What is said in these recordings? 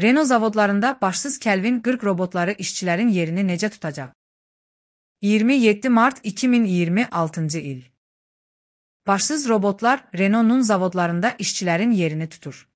Renault zavodlarında başsız Kelvin 40 robotları işçilərin yerini necə tutacaq? 27 mart 2026 il. Başsız robotlar Renault'un zavodlarında işçilərin yerini tutur.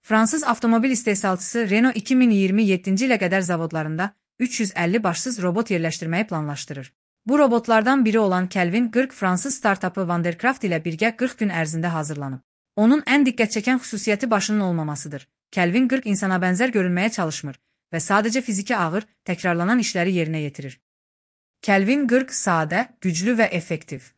Fransız avtomobil istehsalçısı Renault 2027-ci ilə qədər zavodlarında 350 başsız robot yerləşdirməyi planlaşdırır. Bu robotlardan biri olan Kelvin 40 Fransız startapı Vandercraft ilə birgə 40 gün ərzində hazırlanıb. Onun ən diqqət çəkən xüsusiyyəti başının olmamasıdır. Kelvin 40 insana bənzər görünməyə çalışmır və sadəcə fiziki ağır, təkrarlanan işləri yerinə yetirir. Kelvin 40 sadə, güclü və effektiv.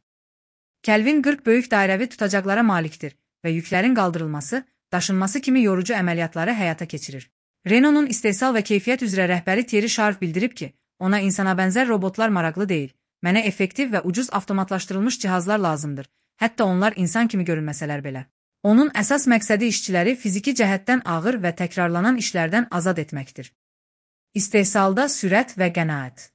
Kelvin 40 böyük dairəvi tutacaqlara malikdir və yüklərin qaldırılması, daşınması kimi yorucu əməliyyatları həyata keçirir. Renault'un istehsal və keyfiyyət üzrə rəhbəri Thierry Sharp bildirib ki, ona insana bənzər robotlar maraqlı deyil, mənə effektiv və ucuz avtomatlaşdırılmış cihazlar lazımdır, hətta onlar insan kimi görünməsələr belə. Onun əsas məqsədi işçiləri fiziki cəhətdən ağır və təkrarlanan işlərdən azad etməkdir. İstehsalda sürət və qənaət.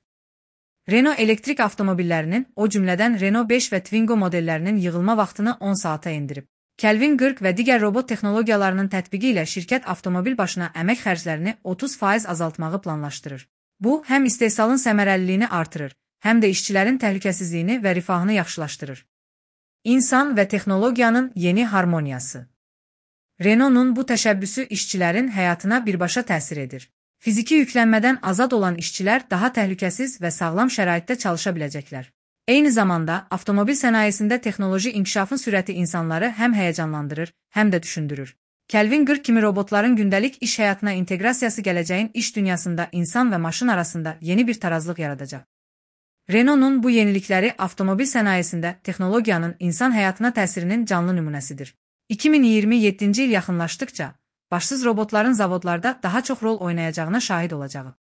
Renault elektrik avtomobillərinin, o cümlədən Renault 5 və Twingo modellərinin yığılma vaxtını 10 saata endirib. Kelvin 40 və digər robot texnologiyalarının tətbiqi ilə şirkət avtomobil başına əmək xərclərini 30% azaltmağı planlaşdırır. Bu, həm istehsalın səmərəliliyini artırır, həm də işçilərin təhlükəsizliyini və rifahını yaxşılaşdırır. İnsan və texnologiyanın yeni harmoniyası. Renault'un bu təşəbbüsü işçilərin həyatına birbaşa təsir edir. Fiziki yüklənmədən azad olan işçilər daha təhlükəsiz və sağlam şəraitdə çalışa biləcəklər. Eyni zamanda, avtomobil sənayesində texnoloji inkişafın sürəti insanları həm həyəcanlandırır, həm də düşündürür. Kelvin 40 kimi robotların gündəlik iş həyatına inteqrasiyası gələcəyin iş dünyasında insan və maşın arasında yeni bir tarazlıq yaradacaq. Renault'un bu yenilikləri avtomobil sənayesində texnologiyanın insan həyatına təsirinin canlı nümunəsidir. 2027-ci il yaxınlaşdıkca, başsız robotların zavodlarda daha çox rol oynayacağına şahid olacağıq.